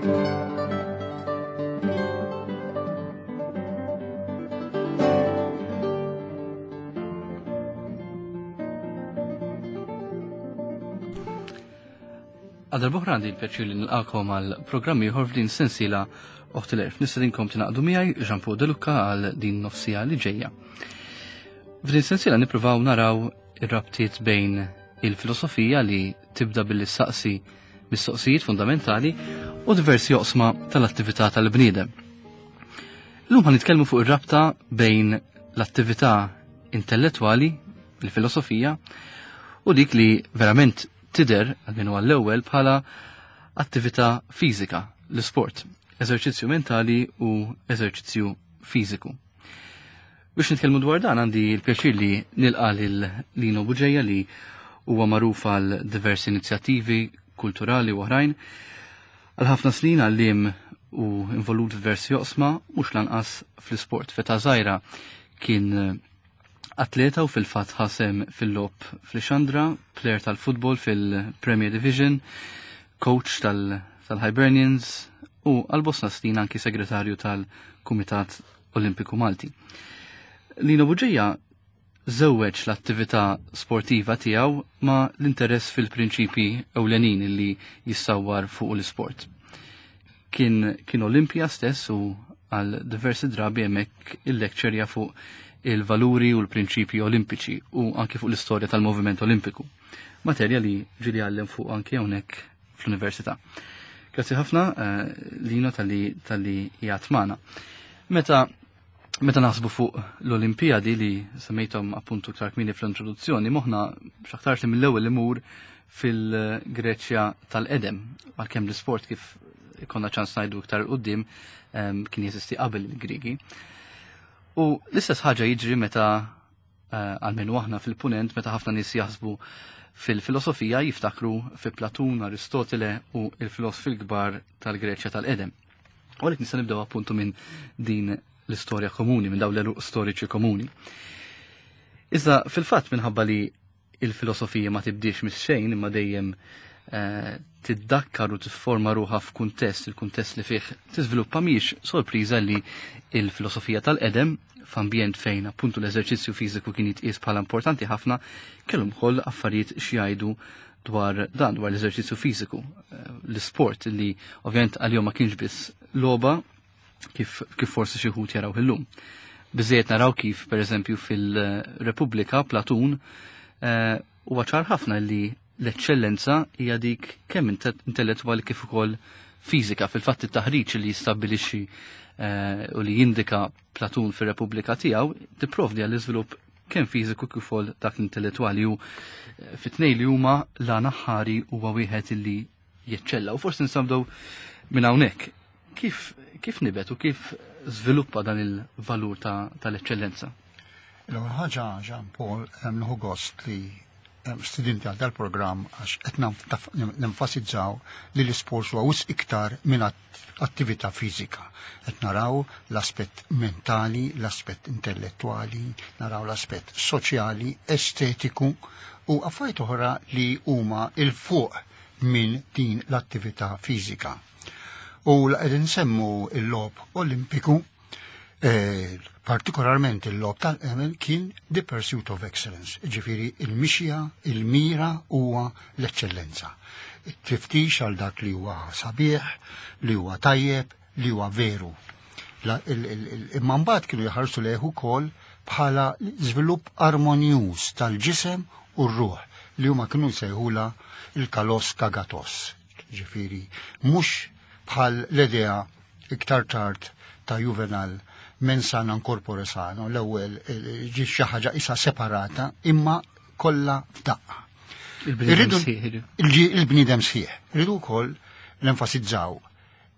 Għadar boħra għandi l-pjaċir li nilqakom għal programm ieħor f'din sensiela Oħt l-Erf. Nistedinkom tingħaqdu miegħi Jean Paul De Luca għal din nofsija li ġejja. F'din sensiela nippruvaw naraw ir-rabtiet bejn il-filosofija li tibda billi saqsi mistoqsijiet fundamentali u diversi oqsma tal-attività tal-bniedem. Illum ħan nitkellmu fuq ir-rabta bejn l-attività intellettwali, il-filosofija, u dik li verament tidher għal għall-ewwel bħala attività fiżika, l-isport, eżerċizzju mentali u eżerċizzju fiżiku. Biex nitkellmu dwar dan għandi l-pjaċir li nilqa lil Lino Buġeja li huwa magħruf għal diversi inizjattivi kulturali u oħrajn. Għal ħafna snin għallim u involut f'versi oqsma mhux lanqas fl-isport. Feta żgħira kien atleta u fil-fatt ħasem fil-lop fl-Xandra, player tal-futbol fil-Premier Division, coach tal-Hibernians u għal-bosta snin anki segretarju tal-Kumitat Olimpiku Malti. Lino Buġeja żewweġ l-attività sportiva tiegħu ma l-interess fil-prinċipi ewlenin li jissawwar fuq l-isport. Kien, kien Olimpija stess u għal diversi drabi hemmhekk il-lekċerja fuq il-valuri u l-prinċipji olimpiċi u anki fuq l-istorja tal-moviment olimpiku. Materja li ġili għallem fuq anki hawnhekk fl-università. Grazzi ħafna eh, Lino tal-li tal-li jgħatmana. Meta meta naħsbu fuq l-Olimpijadi li semmejthom appuntu iktar kmieni fl-introduzzjoni, moħna x'aktarx li mill-ewwel imur fil-Greċja tal-Edem, għalkemm l-isport kif konna ċans ngħidu iktar qudiem kien jeżisti qabel il-Griegi. U l-istess ħaġa jiġri meta eh, għalmenu aħna fil-punent meta ħafna nies jaħsbu fil-filosofija jiftakru fi Platun, Aristotele u il-filosofi l-kbar tal-Greċja tal-Edem. U għalhekk nista' nibdew appuntu minn din l-istorja komuni, minn dawn l-eruq storiċi komuni. Iżda fil-fatt minħabba li il-filosofija ma tibdiex mis-xejn imma dejjem eh, tiddakkar u tifforma ruħa f'kuntest, il-kuntest li fih tiżviluppa mhijiex sorpriża li il-filosofija tal-qedem f'ambjent fejn appuntu l-eżerċizzju fiżiku kien jitqies bħala importanti ħafna, kellhom ukoll affarijiet xi dwar dan, dwar l-eżerċizzju fiżiku, eh, l-isport li ovvjament għalihom ma kienx biss logħba kif, kif forsi xi wħud jaraw illum. Biżejjed naraw kif pereżempju fil-Repubblika Platun eh, huwa ċar ħafna li l-eċċellenza hija dik kemm intellettwali kif ukoll fiżika. Fil-fatt it-taħriġ li jistabbilixxi eh, u li jindika Platun fir-Repubblika tiegħu tipprovdi għall iżvilupp kemm fiżiku kif ukoll dak intellettwali u eh, fit-tnejn li huma la naħħari huwa wieħed illi jeċċella. U forsi nsabdew minn hawnhekk. Kif, kif nibet u kif żviluppa dan il-valur tal-eċċellenza? L-ewwel ħaġa Jean Paul hemm nieħu gost li studenti għal dal-programm għax qed nenfasizzaw li l-isport huwa wisq iktar minn attività fiżika. Qed naraw l-aspett mentali, l-aspett intellettwali, naraw l-aspett soċjali, estetiku u affarijiet oħra li huma il fuq minn din l-attività fiżika. U l qegħdin nsemmu l-logħob Olimpiku, eh, partikolarment il-logħob tal-Emel kien the pursuit of excellence, ġifiri il-mixja, il-mira huwa l-eċċellenza. Tiftix għal dak li huwa sabiħ, li huwa tajjeb, li huwa veru. Imma mbagħad kienu jħarsu lejh ukoll bħala żvilupp armonjuż tal-ġisem u r-ruħ li huma kienu jsejħula il-kalos kagatos. Ġifiri, mhux bħal l-idea iktar tard ta' Juvenal mens sana in corpore sano, l-ewwel ġi xi ħaġa isa separata imma kollha f'daqqa. Il-bniedem sħiħ. Irridu wkoll nenfasizzaw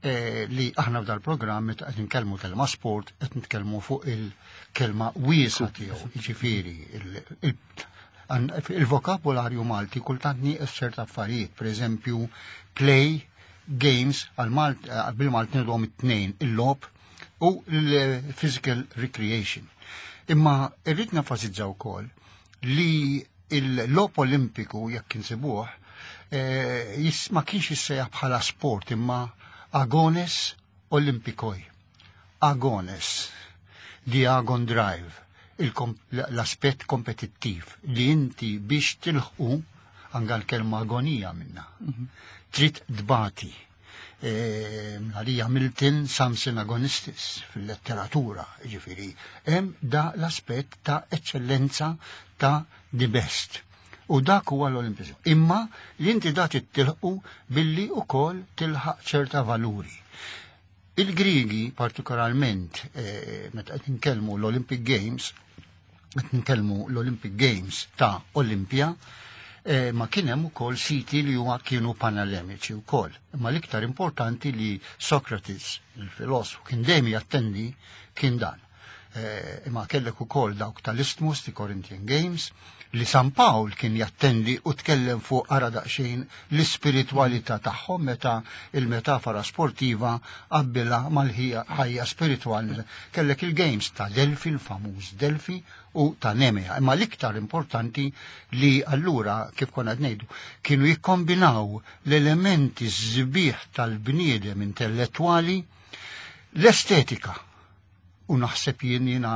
eh, li aħna f'dal programm meta qed nitkellmu kelma sport qed nitkellmu fuq il-kelma wiesa tiegħu, jiġifieri il-vokabularju Malti kultant nieqes ċerta affarijiet, pereżempju play, games għal bil-Malti nidhom it-tnejn il-logħob u l-physical recreation. Imma irrid nenfasizza wkoll li il-logħob Olimpiku jekk insibuh eh, ma kienx jissejjaħ bħala sport imma Agones Olympikoi. Agones, the Agon Drive, l-aspett kompetittiv li inti biex tilħqu anka l-kelma agonija minna. Trid tbati. Għalija Milton Samson Agonistis fil-letteratura, ġifiri, hemm da l-aspett ta' eccellenza ta' the best. U dak huwa l-Olimpizmu. Imma li inti da tilħqu billi ukoll tilħaq ċerta valuri. Il-Grigi partikolarment, meta qed nitkellmu l-Olympic Games, qed nitkellmu l-Olympic Games ta' Olimpja, ma kien hemm ukoll siti li huma kienu panelleniċi wkoll. Imma l-iktar importanti li Socrates, il-filosfu, kien dejjem jattendi kien dan. Imma kellek ukoll dawk tal-Isthmus, the Corinthian Games, li San Pawl kien jattendi u tkellem fuq ara daqsxejn l-ispiritwalità tagħhom meta il-metafora sportiva qabbilha mal-ħajja spiritwali. Kellek il-Games ta' Delfi, il-famuż Delfi, u ta' Nemea. Imma l-iktar importanti li allura, kif konna qed ngħidu, kienu jikkombinaw l-elementi sbieħ tal-bniedem intellettwali, l-estetika. U naħseb jien jiena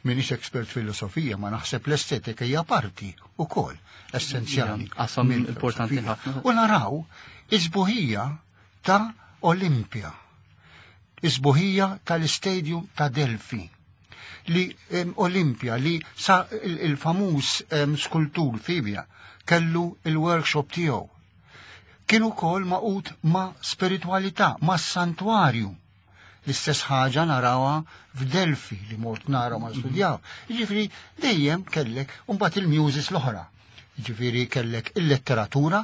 minix expert filosofija, ma naħseb l-estetika hija parti ukoll essenzjali. Qasam mill-filosofija. importanti ħafna. U naraw is-sbuħija ta' Olimpja, is-sbuħija tal-Stadium ta' Delfi, li Olimpja li sa il-famuż skultur Fibja kellu il-workshop tiegħu. Kienu wkoll maqut ma' spiritualità, ma' santwarju. L-istess ħaġa narawha f'Delfi li mort nara ma studjaw. Jiġifieri dejjem kellek mbagħad il-muses l-oħra. Jiġifieri kellek il-letteratura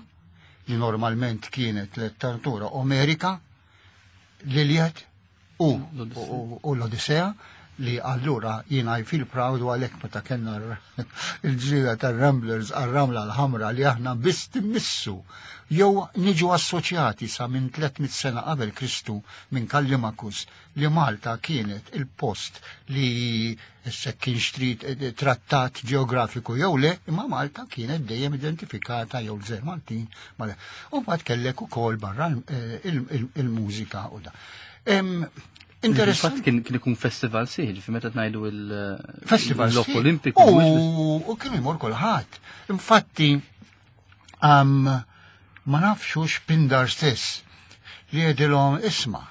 li normalment kienet letteratura Omerika, l-Iliad u l-Odissea, li allura jiena I feel proud u għalhekk meta kellna il-ġrida tar-Ramblers għar-Ramla l-Ħamra li aħna biss timmissu jew niġu assoċjati sa minn 300 sena qabel Kristu minn Kallimakus li Malta kienet il-post li issa kien xtrid trattat ġeografiku jew le, imma Malta kienet dejjem identifikata jew l-Gżejjer Maltin. U mbagħad kellek ukoll barra il-mużika u da. Interessanti. Kien ikun festival sieħ, ġifieri meta ngħidu il- Festival l-Logħob sieħ. Olimpiku, mhux biss- U kien imur kulħadd. Infatti, ma nafx Pindar stess li jedilhom isma'.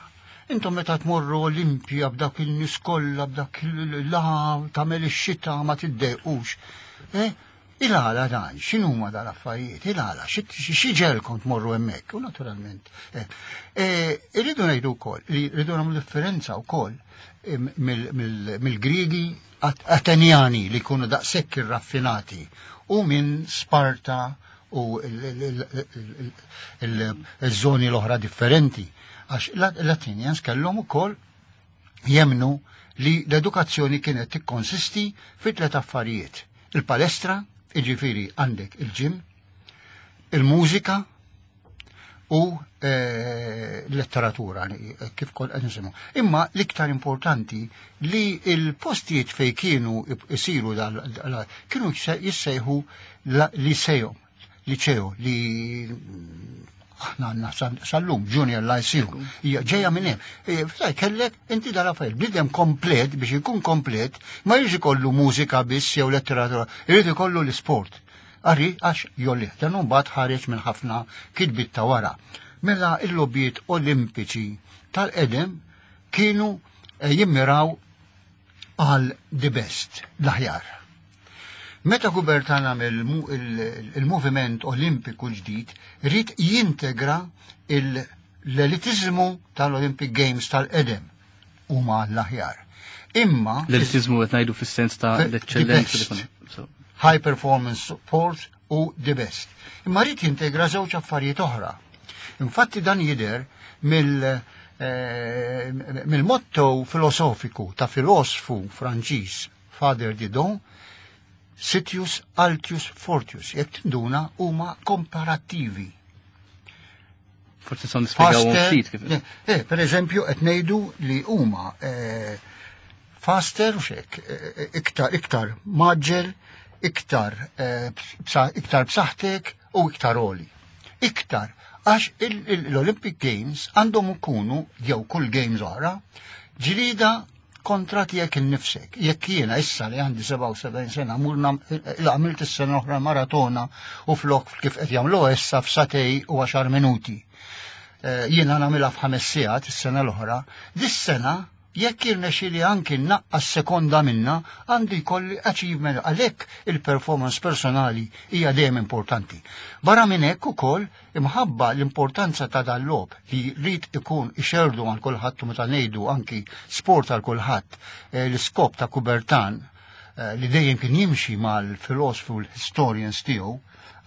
Intom meta tmorru Olimpja b'dak il-nies kollha, b'dak il-laħam, tagħmel ix-xita ma tiddejqux. Il-għala dan, x'inhuma dal-affarijiet, il-għala, xi ġelkom tmorru hemmhekk, u naturalment. Irridu ngħidu wkoll li rridu nagħmlu differenza wkoll mill-Griegi Atenjani li jkunu daqshekk irraffinati u minn Sparta u il-żoni l-oħra differenti. Għax l-Athenians kellhom ukoll jemnu li l-edukazzjoni kienet tikkonsisti fi tliet affarijiet. Il-palestra, jiġifieri għandek il-ġim, il-mużika u l-letteratura, kif kol qed nisimgħu. Imma l-iktar importanti li il-postijiet fej kienu isiru kienu jissejħu liceo, liceo li aħna għandna sal-lum, Junior Lyceum, hija ġejja minn hemm. Ftaj, kellek inti dal-affarijiet, bniedem komplet biex ikun komplet, ma jridx ikollu mużika biss jew letteratura, jrid ikollu l-isport. Għarri, għax jolli, dan mbagħad ħareġ minn ħafna kitbiet ta' wara. Mela il-logħbiet olimpiċi tal-qedem kienu jimmiraw għal the best, l-aħjar. Meta Coubertin għamel il-moviment olimpiku ġdid, rrid jintegra l-elitizmu tal-Olympic Games tal-qedem huma l-aħjar. Imma l-elitizmu qed ngħidu fis-sens ta' l-eċċellenza The li best. so. High performance sport u the best. Imma rrid jintegra żewġ affarijiet oħra. Infatti dan jidher mill-motto filosofiku ta' filosfu Franċiż Father Didon, Citius, Altius, Fortius, jekk tinduna huma komparattivi. Forsi son nispjegaw Faster, ftit kif. Per eżempju, qed ngħidu li huma faster u xek, iktar maġġel, iktar b'saħħtek u iktar oli. Iktar. Għax l-Olympic Games għandhom ikunu jew kull games oħra ġlida kontra tiegħek innifsek. Jekk jiena issa li għandi 77 sena mur għamilt is-sena oħra maratona u flok kif qed jagħmlu issa f'satej u 10 minuti. Eh, jiena nagħmilha f'ħames sigħat is-sena l-oħra, dis-sena Jekk jirnexxieli anki nnaqqas sekonda minnha, għandu jkolli achievement għalhekk il-performance personali hija dejjem importanti. Barra minn hekk ukoll imħabba l-importanza ta' dal-logħob li jrid ikun ixerrdu għal kulħadd u meta ngħidu anki sport għal kulħadd eh, l-iskop ta' Coubertin eh, li dejjem kien jimxi mal-filosfu u l-historians tiegħu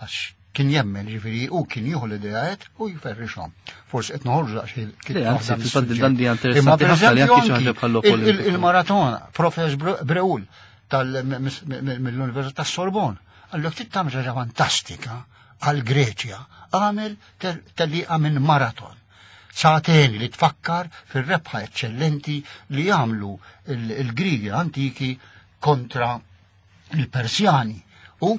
għax kien jemmen, ġifieri u kien jieħu l-ideaet u jferrixhom. Forsi qed noħorġu daqsxejn kif anzi, dan di interessanti ħafna li anki xi ħaġa bħal Il-maratona, Professor Breul mill-Università tas-Sorbon, għallu trid tagħmel ħaġa fantastika għal Greċja, għamel tellieqa minn maraton. Sagħtejn li tfakkar fir-rebħa eċċellenti li għamlu il-Grigi antiki kontra il-Persjani u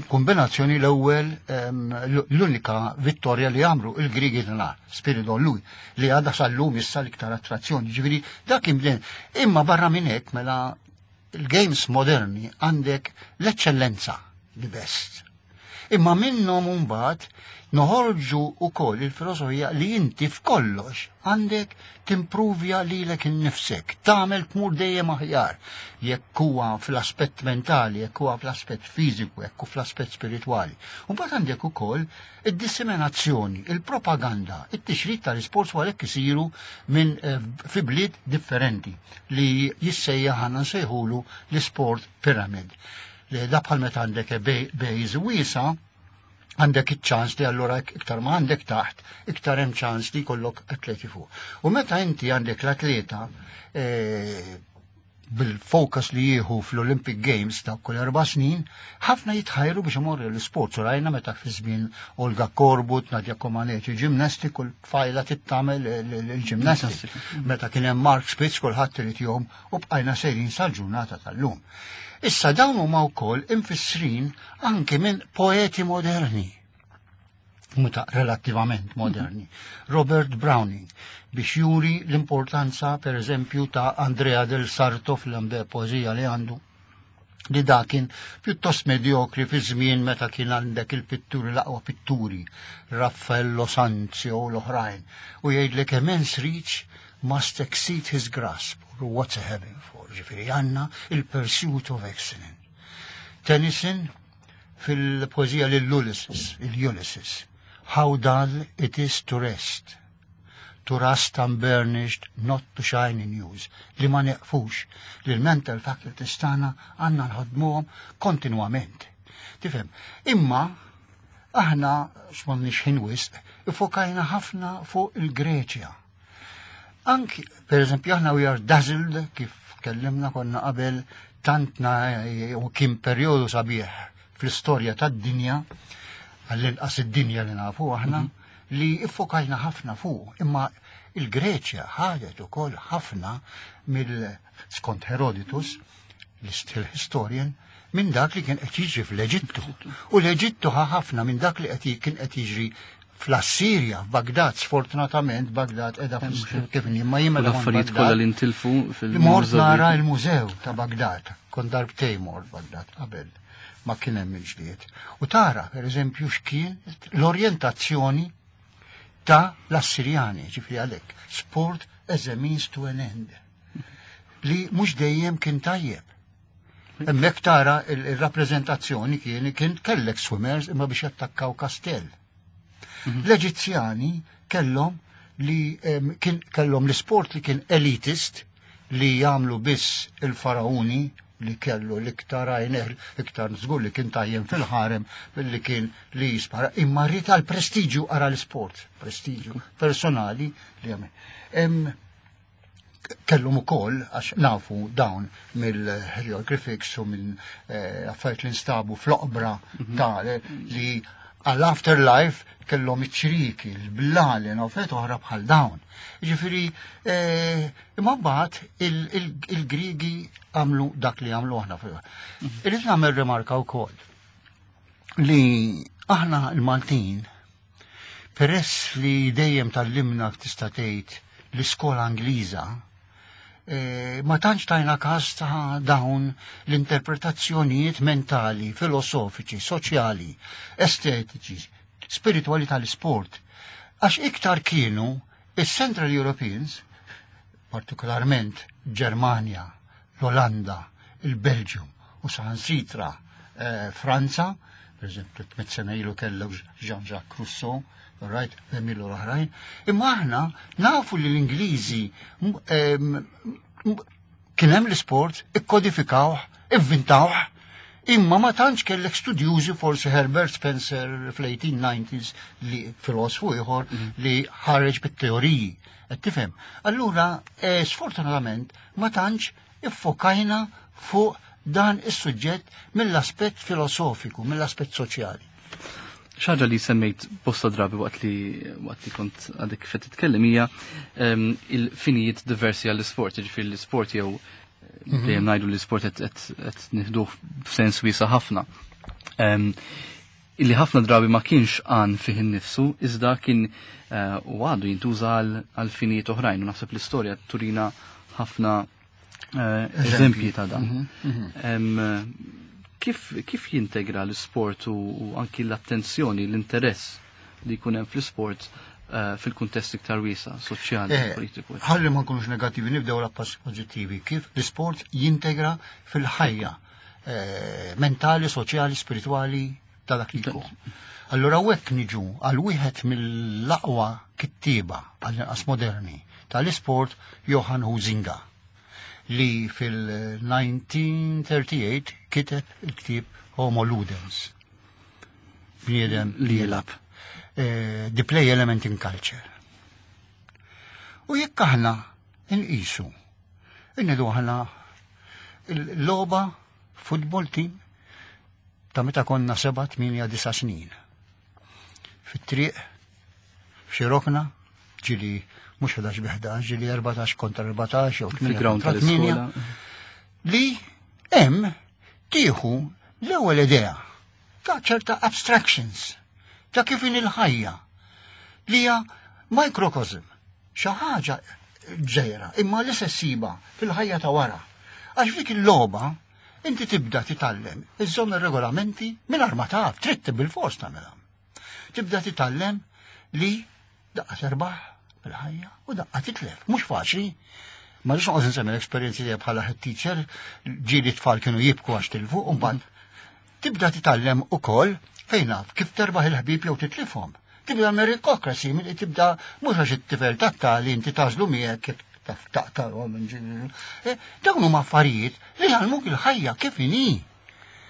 kombinazzjoni l-ewwel l-unika vittorja li għamlu il-Grigi nar, Spiridon Lui, li għadha sal-lum issa l-iktar attrazzjoni. Ġifieri dak kien Imma barra minn hekk mela il-games moderni għandek l-eċċellenza, the best. Imma minnhom mbagħad noħorġu wkoll il-filosofija li inti f'kollox għandek timpruvja lilek innifsek, tagħmel tmur dejjem aħjar, jekk huwa fl-aspett mentali, jekk huwa fl-aspett fiżiku, jekk hu fl-aspett spiritwali. U mbagħad għandek ukoll id-disseminazzjoni, il-propaganda, it-tixrid tal-isports u għalhekk isiru minn eh, fi bliet differenti li jissejjaħ għandna nsejħulu l-isport pyramid. Li da bħal meta għandek base wiesa, għandek iċ-ċans li allura iktar ma għandek taħt, iktar hemm ċans li jkollok atleti fuq. U meta inti għandek l-atleta eh, bil-fokus li jieħu fl-Olympic Games ta' kull erba' snin, ħafna jitħajru biex imorru l-isport. U rajna meta fi żmien Olga Korbut, Nadja Comaneci, ġimnasti, kull tfajla tittamel il-ġimnasti. Meta kien hemm Mark Spitz kulħadd irid jom u bqajna sejrin sal-ġurnata tal-lum. Issa dawn huma wkoll imfissrin anke minn poeti moderni muta relattivament moderni. Robert Browning biex juri l-importanza per eżempju ta' Andrea del Sarto fl-ambe poezija li għandu li da kien pjuttost medjokri fi żmien meta kien għandek il-pitturi l-aqwa pitturi, Raffaello Sanzio u l-oħrajn, u jgħidlek immense reach must exceed his grasp, or what's a heaven for, ġifieri għandna il-pursuit of excellence. Tennyson fil-poezija lil Ulysses, il-Ulysses, how dull it is to rest, to rust unburnished, not to shine in use, li ma neqfux, li l-mental faculties tagħna għandna nħadmuhom kontinwament. Tifhem, imma aħna x'm'għandniex ħin wisq, ifokajna ħafna fuq il-Greċja. Anki, per eżempju, aħna we are dazzled, kif tkellimna konna qabel, tantna u kien perjodu sabiħ fl-istorja tad-dinja, għall-inqas id-dinja li nafu aħna, mhm. li iffokajna ħafna fuq, imma il-Greċja ħadet ukoll ħafna mill skont Herodotus, l-istil historian, minn dak li kien qed jiġri fl-Eġittu. U l-Eġittu ħa ħafna minn dak li qed kien qed jiġri fl-Assirja, f'Bagdad, sfortunatament Bagdad edha kif imma jien meta l-affarijiet kollha li ntilfu fil Mort nara l-mużew ta' Bagdad, kont darbtejn mort Bagdad qabel ma kien hemm il-ġlied. U tara, per eżempju, x'kien l-orjentazzjoni ta' l-Assirjani, ġifri għalhekk, sport as a means to an end. Li mhux dejjem kien tajjeb. Hemmhekk tara il-rappreżentazzjoni kien kien kellek swimmers imma biex jattakkaw kastell. Mhm. L-Eġizzjani kellhom li kien kellhom l-isport li kien elitist li jagħmlu biss il-farauni li kellu l-iktar għajneh, iktar żgur li kien tajjem fil-ħarem billi kien li jispara, imma rrid għal prestiġju ara l-isport, prestiġju personali li għamel. Kellhom ukoll għax nafu dawn mill-hieroglyphics u minn eh, affarijiet li nstabu fl-oqbra mhm. ta' li għall-afterlife kellhom iċ-ċriki, l-blalen u affarijiet oħra bħal dawn. Ġifieri, eh, imma mbagħad il-Grigi għamlu dak li għamlu aħna. Mhm. Irrid nagħmel rimarka wkoll li aħna l-Maltin. Peress li dejjem tgħallimna tista' tgħid l-iskola Ingliża, ma tantx tajna każ ta' dawn l-interpretazzjonijiet mentali, filosofiċi, soċjali, estetiċi, spiritwali tal-isport. Għax iktar kienu is-Central Europeans, partikolarment Ġermanja, l-Olanda, il-Belġium u saħansitra Franza, per eżempju, 300 sena ilu kellek Jean-Jacques Rousseau, right, Emilio l-oħrajn, imma aħna nafu li l-Ingliżi kien hemm l-isport, ikkodifikawh, ivvintawh, imma ma tantx kellek studjużi forsi Herbert Spencer fl-1890s li filosfu ieħor li ħareġ bit-teoriji. Qed tifhem? Allura, sfortunatament, ma tantx iffokajna fuq dan is-suġġett mill-aspett filosofiku, mill-aspett soċjali. Xaġa li semmejt bosta drabi waqt li waqt li kont għadek kif qed titkellem hija il-finijiet diversi għall-isport, jiġifieri l-isport jew dejjem ngħidu l-isport qed nieħduh f'sens wiesa' ħafna. Illi ħafna drabi ma kienx għan fih innifsu, iżda kien u għadu jintuża għal finijiet oħrajn. U naħseb l-istorja turina ħafna eżempji ta' dan. Kif jintegra l-isport u anki l-attenzjoni, l-interess li jkun hemm fl-isport fil-kuntest iktar wiesa, soċjali, politiku? Ħalli ma nkunux negattivi, nibdew l-passi pożittivi. Kif l-isport jintegra fil-ħajja mentali, soċjali, spiritwali ta' dak li jkun. Allura hekk niġu għal wieħed mill-aqwa kittieba għall-inqas moderni tal-isport, Johan Huizinga, li fil-1938 kiteb il-ktieb Homo Ludens. Bniedem li jilgħab. The Play Element in Culture. U jekk aħna nqisu, innidu aħna l-logħba football team ta' meta konna 7, 8, 9 snin. Fit-triq, f'xi rokna, ġili mhux 11 bi 11, ġili 14 kontra 14 jew 8 Fil-ground kontra 8, tal-iskola. li hemm tieħu l-ewwel idea ta' ċerta abstractions ta' kif in il-ħajja li hija microcosm, xi ħaġa ġejra, imma li se ssiba fil-ħajja ta' wara. Għax f'dik il-logħba inti tibda titgħallem iżżomm ir-regolamenti mingħajr ma taf, trid bil-fors tagħmilha. Tibda titgħallem li daqqa terbaħ fil-ħajja u daqqa titlef. Mhux faċli. Ma rridx noqgħod nsemmi l-esperjenzi tiegħi bħala head teacher, ġieli tfal kienu jibku għax tilfu, u mbagħad tibda titgħallem ukoll fejn naf kif terbaħ il-ħbieb jew titlifhom. Tibda meritocracy, milli tibda mhux għax it-tifel tat-tali inti tażlu miegħek kif taf taqtalhom Dawn huma affarijiet li jgħallmuk il-ħajja kif inhi.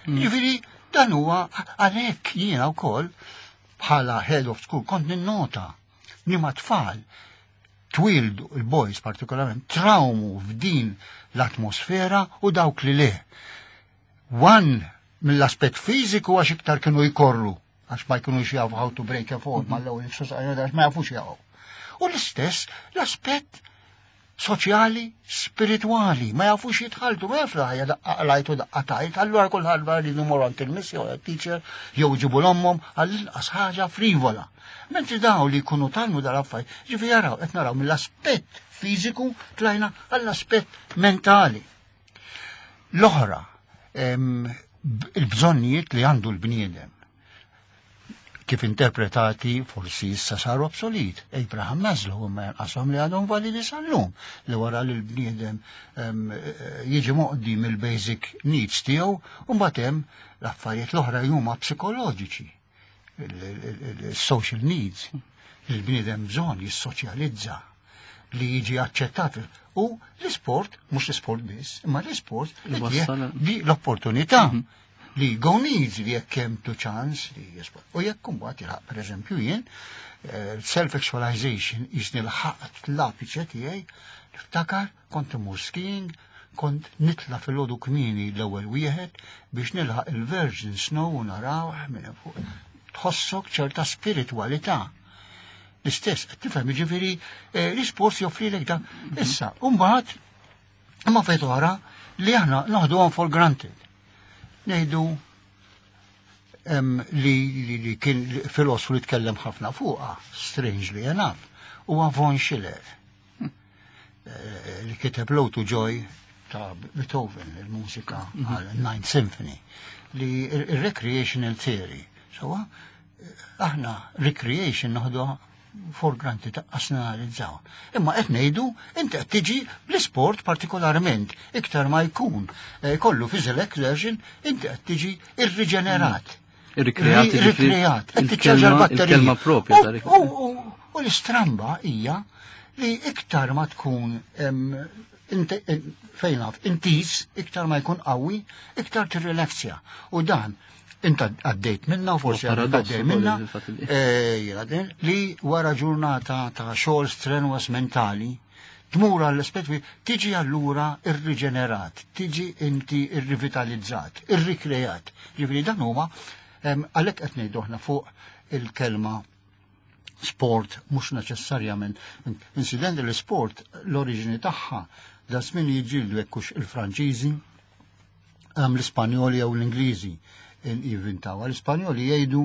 Ġifieri dan huwa għalhekk jiena wkoll bħala head of school kont ninnota li ma tfal twildu, il-boys partikolarment, trawmu f'din l-atmosfera u dawk li le. One mill-aspett fiżiku għax iktar kienu jkorru, għax ma jkunux jafu how to break a fall, mal-ewwel jiksu għax ma jafux jaqgħu. U l-istess l-aspett soċjali, spiritwali, ma jafux jitħaltu, ma jaf l-ħajja daqqa qlajt u daqqa tajt, allura kulħadd li numru għand il-miss jew teacher jew ġibu l-ommhom għall-inqas ħaġa frivola. Mentri daw li jkunu talmu dal-affarijiet, ġifi jaraw, qed naraw mill-aspett fiżiku tlajna għall-aspett mentali. L-oħra, il-bżonnijiet li għandu l-bniedem, kif interpretati forsi issa saru obsolet. Abraham Maslow imma janqashom li għadhom validi sal-lum, li wara li l-bniedem jiġi moqdi mill-basic needs tiegħu, u mbagħad hemm l-affarijiet l-oħra huma psikoloġiċi, il-social needs, li l-bniedem bżonn jissoċjalizza, li jiġi aċċettat. U l-isport, mhux l-isport biss, imma l-isport Li wassal li l-opportunità li go needs li jekk hemm to chance li jisport. U jekk imbagħad jilħaq pereżempju jien, self-actualization jisni l-ħaqt l-apiċe tiegħi, niftakar kont imur skiing, kont nitla fil-għodu kmieni l-ewwel wieħed biex nilħaq il-Virgin Snow u narawh minn fuq. Tħossok ċerta spiritualità. L-istess, qed tifhem, jiġifieri l-isport joffrilek dan. Issa, u mbagħad imma fejn oħra li aħna naħduhom for granted. Ngħidu li, li, li kien filosfu li tkellem ħafna fuqha, strangely enough, huwa Von Schiller. Li kiteb Low to Joy ta' Beethoven, il-mużika għal Ninth Symphony, li il-recreational theory. So, aħna recreation noħdu for granted taqqas nanalizzaw. Imma qed ngħidu inti qed tiġi bl-isport partikolarment iktar ma jkun kollu physical exertion inti qed tiġi irriġenerat. Irrikreat. Irrikreat. Qed tiċċarġa l-batterija. Il-kelma propja U l-istramba hija li iktar ma tkun fejn naf, intis, iktar ma jkun qawwi, iktar tirrilaxja. U dan, inta għaddejt minna, forsi għaddejt minna, li wara ġurnata ta' xogħol strenuous mentali, tmur għall-aspett tiġi allura irriġenerat, tiġi inti irrivitalizzat, irrikreat. Ġifieri dan huma għalhekk qed ngħidu aħna fuq il-kelma sport mhux neċessarjament. Incident l-sport l-oriġini tagħha da żmien jiġġieldu jekk hux il-Franċiżi, l-Ispanjoli jew l-Ingliżi jivvintawha. L-Ispanjoli jgħidu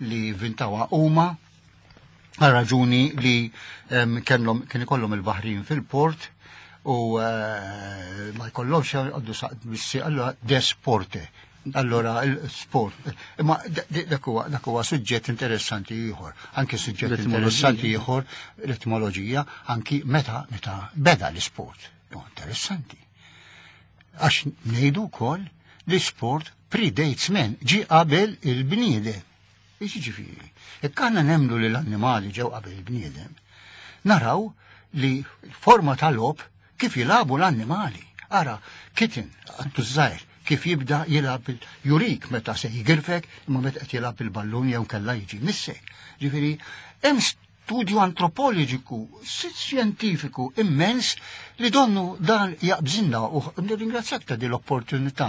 li jivvintawha huma għal raġuni li kellhom kien ikollhom il-baħrin fil-port u ma jkollhomx għaddu saq allura desporte. Allora l-sport. Imma dak huwa suġġett interessanti ieħor. Anki suġġett interessanti ieħor l-etimoloġija anki meta meta beda l-isport. Interessanti. Għax ngħidu wkoll li sport predates man, ġi qabel il-bniedem. Jiġifieri, jekk aħna nemmnu li l-annimali ġew qabel il-bniedem, naraw li forma tal-logħob kif jilagħbu l-annimali. Ara, kitten, qattus żgħir, kif jibda jilgħab jurik meta se jgirfek, imma meta qed jilgħab il-ballun jew kella jiġi missek. Ġifieri, hemm studju antropoloġiku, xjentifiku immens li donnu dan jaqbżinna u nirringrazzjak ta' din l-opportunità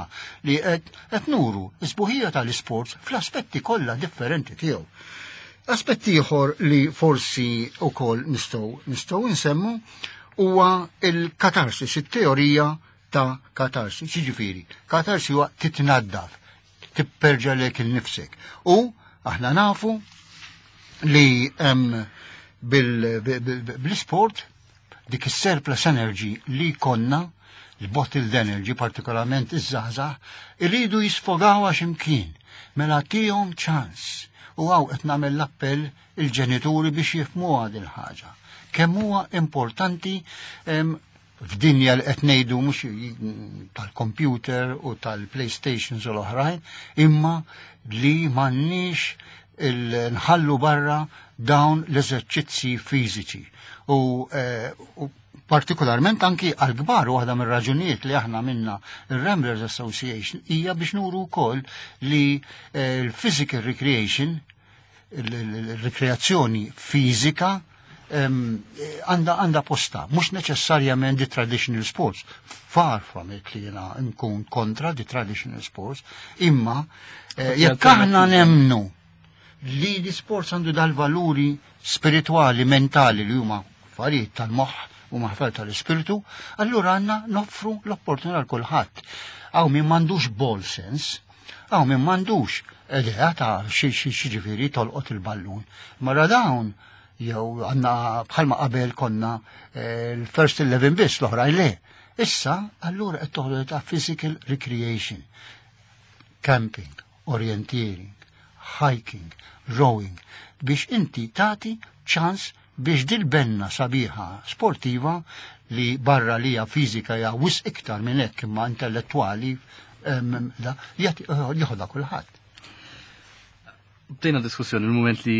li qed nuru s-sbuħija tal-isports fl-aspetti kollha differenti tiegħu. Aspetti ieħor li forsi wkoll nistgħu nistgħu nsemmu huwa il-katarsis, it-teorija ta' katarsis. Jiġifieri, katarsis huwa titnaddaf, tipperġa lek innifsek. U aħna nafu li bl-sport dik is-surplus energy li konna, l-bottled energy, partikolarment iż-żgħażagħ, irridu jisfogaw x'imkien, mela tihom ċans. U hawn qed nagħmel l-appell il-ġenituri biex jifhmu din il-ħaġa. Kemm huwa importanti f'dinja li qed ngħidu mhux tal-computer u tal-PlayStations u l-oħrajn, imma li m'għandniex nħallu barra dawn l-eżerċizzi fiżiċi. U partikolarment anki għal-kbar, waħda mir-raġunijiet li aħna minna il-Ramblers Association hija biex nuru wkoll li l-physical recreation, il-rekreazzjoni fiżika għanda posta, mhux neċessarjament di traditional sports, far from it li jena nkun kontra di traditional sports, imma jekk aħna nemmnu li di sports għandu dal-valuri spirituali, mentali li huma affarijiet tal-moħħ u maħfar tal-ispirtu, allura għandna noffru l-opportunità għal kulħadd. Hawn min m'għandux ball sense, hawn min m'għandux idea ta' xi ġifieri tolqot il-ballun. Mara dawn jew għandna bħalma qabel konna l-first 11 biss, l-oħrajn le. Issa, allura qed toħroġ ta' physical recreation, camping, orienteering, hiking, rowing, biex inti tati ċans biex dil-benna sabiħa sportiva li barra li hija fiżika hija wisq iktar minn hekk imma intellettwali da jieħodha kulħadd. Bdejna diskussjoni il-moment li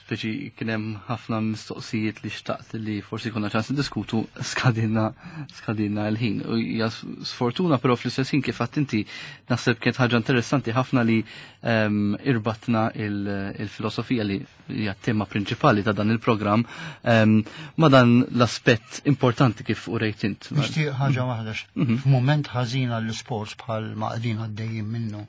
speċi kien hemm ħafna mistoqsijiet li xtaqt li forsi konna ċans diskutu skadinna l-ħin. U hija sfortuna, però fl-istess ħin kif għedt inti naħseb kienet ħaġa interessanti ħafna li irbatna il-filosofija li hija tema prinċipali ta' dan il-programm ma' dan l-aspett importanti kif urejt int. Nixtieq ħaġa waħda, f'mument ħażin għall-sports bħal ma qegħdin għaddejjin minnu.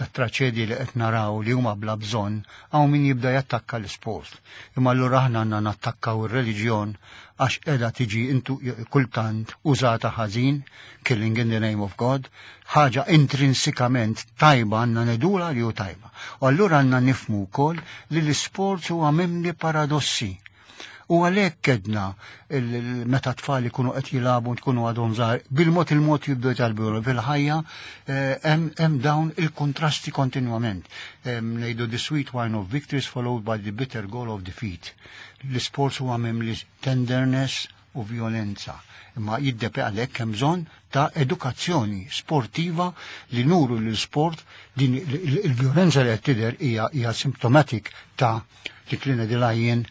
tat-traċedji li qed naraw li huma bla bżonn, hawn min jibda jattakka l-isport. Imma allura aħna għandna nattakkaw ir-reliġjon għax qiegħda tiġi intu kultant użata ħażin, killing in the name of God, ħaġa intrinsikament tajba għandna ngħidulha li hu tajba. U allura għandna nifhmu wkoll li l-isport huwa mimli paradossi. U għalhekk kedna meta tfal ikunu qed jilagħbu tkunu għadhom żgħar, bil-mod il-mod jibdew jitgħallmu fil-ħajja eh, hemm dawn il-kontrasti kontinwament. Ngħidu the sweet wine of victories followed by the bitter goal of defeat. L-isports huwa mimli tenderness u violenza. Imma jiddepe għalhekk hemm bżonn ta' edukazzjoni sportiva li nuru l-sport din il-violenza li qed tidher hija symptomatic ta' dik li ngħidilha jien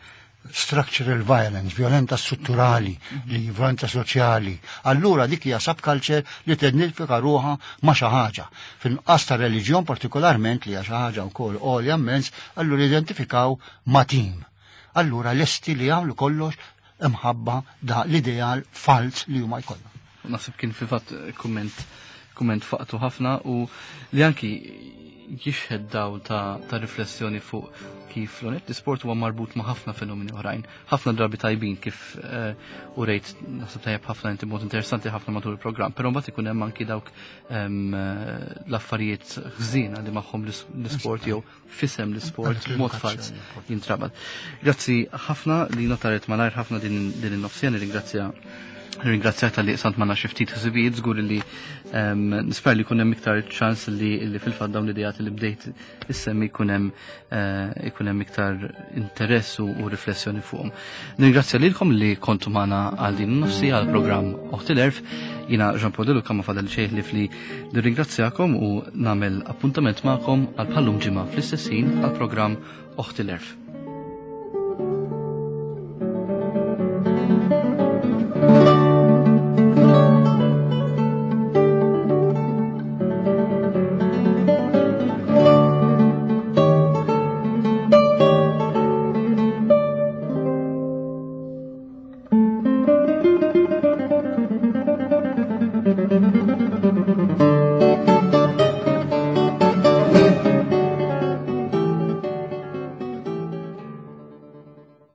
structural violence, violenza strutturali, li violenza soċjali. Allura dik hija subculture li tidentifika ruħha ma' xi ħaġa. Fil-qas ta' reliġjon partikolarment li hija xi ħaġa wkoll għolja immens, allura identifikaw ma' tim. Allura lesti li jagħmlu kollox imħabba da l-ideal falz li huma jkollhom. Naħseb kien fil-fatt kumment kumment faqtu ħafna u li anki jixħed dawl ta', ta riflessjoni fuq kif l-onet l-isport huwa marbut ma' ħafna fenomeni oħrajn, ħafna drabi tajbin kif eh, u rejt naħseb tajjeb ħafna inti mod interessanti ħafna matul il-programm, però mbagħad ikun hemm anki dawk ehm, eh, l-affarijiet ħżiena li magħhom l-isport jew fisem l-isport mod falz jintrabat. Grazzi ħafna li notaret malajr ħafna din in-nofsija, nirringrazzja Ringrazzjak tal-li sant manna xiftit ħsibijiet, żgur li ehm, nisper li kunem iktar ċans li, li fil-fatt dawn l-idejat li bdejt issemmi kunem eh, ikunem iktar interess u, u riflessjoni fuqhom. Nirringrazzja lilkom li kontu magħna għal din nofsi għal programm Oħti l-Erf. Jina Jean Paul Deluca ma fadal xejn li fli nirringrazzjakom u nagħmel appuntament magħkom għal bħallum ġimgħa fl-istess ħin għal programm Oħti l-Erf.